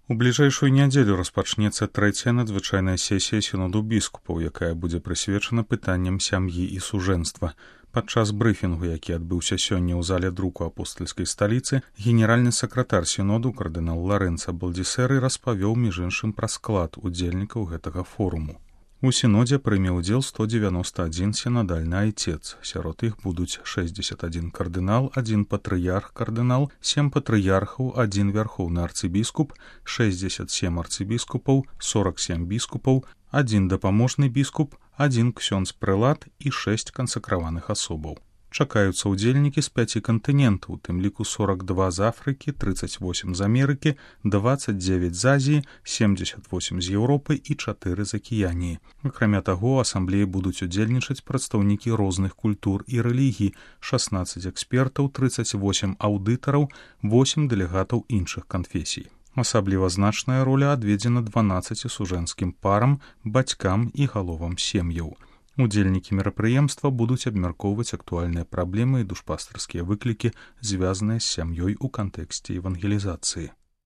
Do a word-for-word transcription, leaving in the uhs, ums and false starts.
У бліжэйшую нядзелю распачнецца трэцяя надзвычайная сесія сіноду біскупаў, якая будзе прысвечана пытанням сям'і і сужэнства. Падчас брыфінгу, які адбыўся сёння ў зале друку апостальскай сталіцы, генеральны сакратар сіноду кардынал Ларэнца Балдзісэры распавёў між іншым пра склад удзельнікаў гэтага форуму. У сінодзе прыме ўдзел сто дзевяносто адзін сінадальны айцец. Сярод іх будуць шэсцьдзесят адзін кардынал, адзін патрыярх-кардынал, сем патрыярхаў, адзін вярхоўны арцыбіскуп, шэсцьдзесят сем арцыбіскупаў, сорок сем біскупаў, адзін дапаможны біскуп, адзін ксёндз-прэлат і шэсць кансакраваных асобаў. Чакаюцца ўдзельнікі з пяці кантынентаў, у тым ліку сорок два з Афрыкі, трыццаць восем з Амерыкі, дваццаць дзевяць з Азіі, семьдесят восемь з Еўропы і чатыры з Акіяніі. Акрамя таго, у асамблеі будуць удзельнічаць прадстаўнікі розных культур і рэлігій, шаснаццаць экспертаў, трыццаць восем аўдытараў, восем дэлегатаў іншых канфесій. Асабліва значная роля адведзена дванаццаці сужэнскім парам, бацькам і галовам сем'яў. Удзельнікі мерапрыемства будуць абмяркоўваць актуальныя праблемы і душпастарскія выклікі, звязаныя з сям'ёй у кантэксце евангелізацыі.